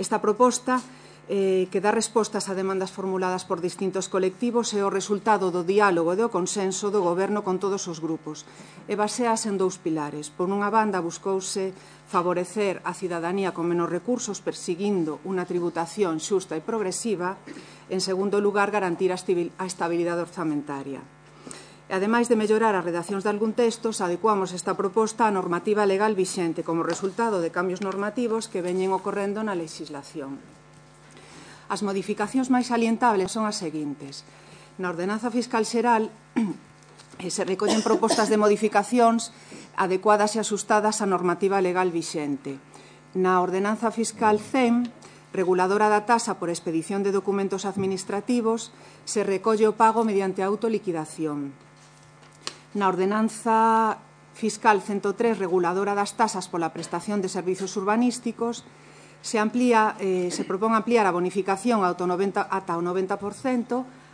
Esta proposta que dá respostas a demandas formuladas por distintos colectivos é o resultado do diálogo e do consenso do Goberno con todos os grupos e basease en dous pilares. Por unha banda, buscouse favorecer a cidadanía con menos recursos perseguindo unha tributación xusta e progresiva. En segundo lugar, garantir a estabilidade orzamentaria. Ademais de mellorar as redaccións de algún texto, adecuamos esta proposta á normativa legal vixente como resultado de cambios normativos que veñen ocorrendo na legislación. As modificacións máis salientables son as seguintes. Na Ordenanza Fiscal Xeral se recollen propostas de modificacións adecuadas e asustadas á normativa legal vixente. Na Ordenanza Fiscal CEM, reguladora da tasa por expedición de documentos administrativos, se recolle o pago mediante autoliquidación. Na Ordenanza Fiscal 103, reguladora das tasas pola prestación de servizos urbanísticos, se propón ampliar a bonificación ata o 90%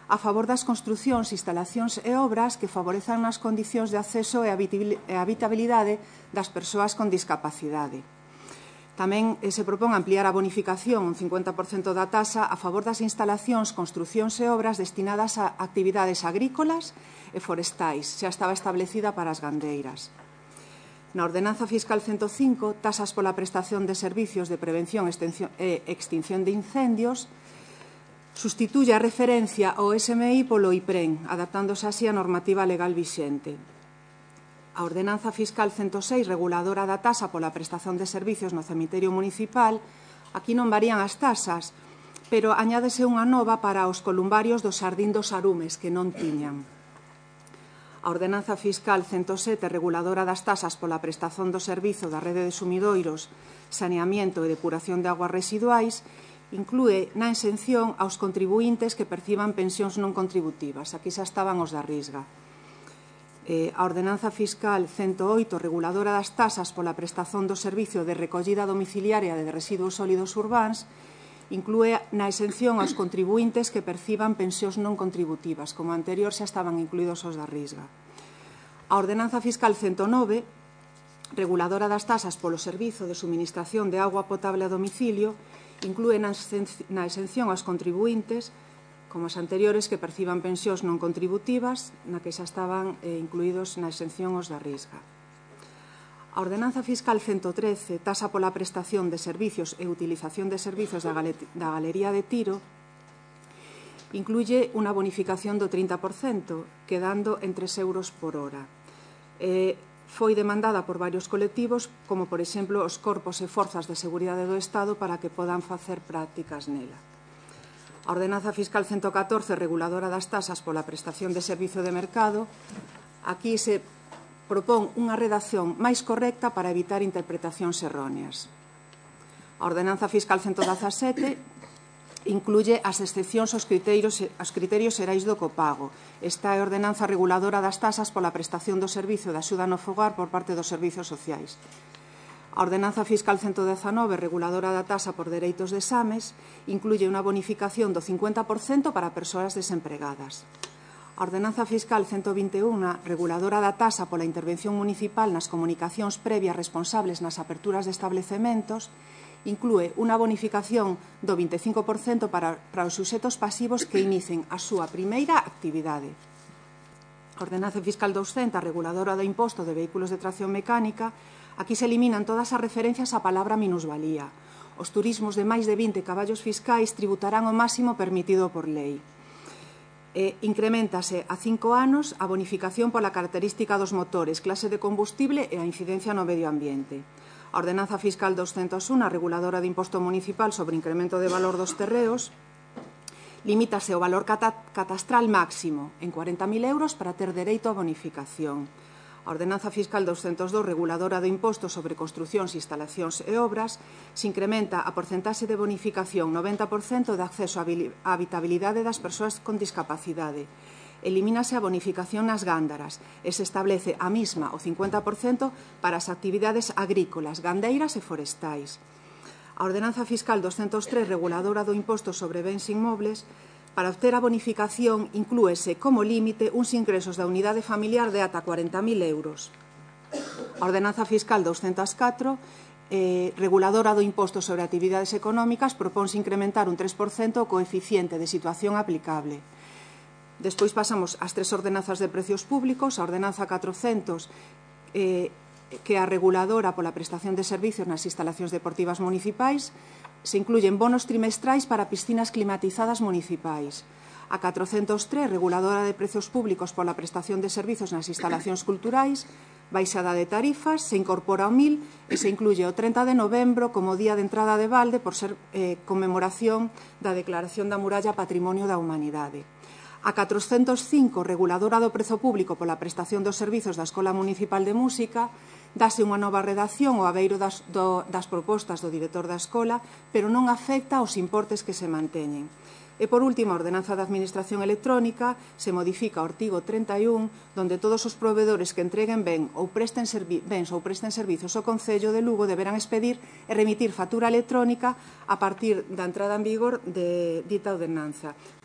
a favor das construcións, instalacións e obras que favorezan as condicións de acceso e habitabilidade das persoas con discapacidade. Tamén se propón ampliar a bonificación un 50% da tasa a favor das instalacións, construcións e obras destinadas a actividades agrícolas e forestais, xa estaba establecida para as gandeiras. Na Ordenanza Fiscal 105, tasas pola prestación de servicios de prevención e extinción de incendios, sustituye a referencia ao SMI polo IPREN, adaptándose así a normativa legal vixente. A Ordenanza Fiscal 106, reguladora da tasa pola prestación de servicios no cemiterio municipal, aquí non varían as tasas, pero añádese unha nova para os columbarios do Xardín dos Arumes, que non tiñan. A Ordenanza Fiscal 107, reguladora das tasas pola prestación do servizo da rede de sumidoiros, saneamiento e depuración de aguas residuais, inclúe na exención aos contribuíntes que perciban pensións non contributivas. Aquí xa estaban os da Risga. A Ordenanza Fiscal 108, reguladora das tasas pola prestación do servicio de recollida domiciliaria de residuos sólidos urbáns, inclúe na exención aos contribuíntes que perciban pensións non contributivas. Como anterior xa estaban incluídos os da Risga. A Ordenanza Fiscal 109, reguladora das tasas polo servizo de suministración de auga potable a domicilio, inclúe na exención aos contribuíntes, como as anteriores, que perciban pensións non contributivas, na que xa estaban incluídos na exención os da Risga. A Ordenanza Fiscal 113, tasa pola prestación de servicios e utilización de servicios da Galería de Tiro, incluye unha bonificación do 30%, quedando en 3 euros por hora. Foi demandada por varios colectivos, como, por exemplo, os corpos e forzas de seguridade do Estado para que podan facer prácticas nela. A Ordenanza Fiscal 114, reguladora das tasas pola prestación de servizo de mercado, aquí se propón unha redacción máis correcta para evitar interpretacións erróneas. A Ordenanza Fiscal 117 incluye as excepcións aos criterios xerais do copago. Esta é a ordenanza reguladora das tasas pola prestación do servizo de axuda no fogar por parte dos servizos sociais. A Ordenanza Fiscal 119, reguladora da tasa por dereitos de exames, incluye unha bonificación do 50% para persoas desempregadas. A Ordenanza Fiscal 121, reguladora da tasa pola intervención municipal nas comunicacións previas responsables nas aperturas de establecementos, inclúe unha bonificación do 25% para os suxetos pasivos que inicien a súa primeira actividade. A Ordenanza Fiscal 200, reguladora do imposto de vehículos de tracción mecánica, aquí se eliminan todas as referencias á palabra minusvalía. Os turismos de máis de 20 caballos fiscais tributarán o máximo permitido por lei. Increméntase a 5 anos a bonificación pola característica dos motores, clase de combustible e a incidencia no medio ambiente. A Ordenanza Fiscal 201, reguladora de imposto municipal sobre incremento de valor dos terreos, limítase o valor catastral máximo en 40.000 euros para ter dereito a bonificación. A Ordenanza Fiscal 202, reguladora do imposto sobre construcións, instalacións e obras, se incrementa a porcentaxe de bonificación 90% de acceso á habitabilidade das persoas con discapacidade. Elimínase a bonificación nas gándaras e se establece a mesma, o 50%, para as actividades agrícolas, gandeiras e forestais. A Ordenanza Fiscal 203, reguladora do imposto sobre bens inmobles, para obter a bonificación inclúese como límite uns ingresos da unidade familiar de ata 40.000 euros. A Ordenanza Fiscal 204 reguladora do imposto sobre actividades económicas, propónse incrementar un 3% o coeficiente de situación aplicable. Despois pasamos ás 3 ordenanzas de precios públicos. A ordenanza 400, que é a reguladora pola prestación de servicios nas instalacións deportivas municipais, se incluyen bonos trimestrais para piscinas climatizadas municipais. A 403, reguladora de precios públicos pola prestación de servicios nas instalacións culturais, baixada de tarifas, se incorpora ao 1000 e se incluye o 30 de novembro como día de entrada de balde por ser conmemoración da Declaración da Muralla Patrimonio da Humanidade. A 405, reguladora do prezo público pola prestación dos servizos da Escola Municipal de Música, dase unha nova redacción ao abeiro das propostas do director da escola, pero non afecta aos importes que se manteñen. E, por último, a ordenanza de administración electrónica se modifica o artigo 31, donde todos os provedores que entreguen bens ou presten servizos ao Concello de Lugo deberán expedir e remitir factura electrónica a partir da entrada en vigor de dita ordenanza.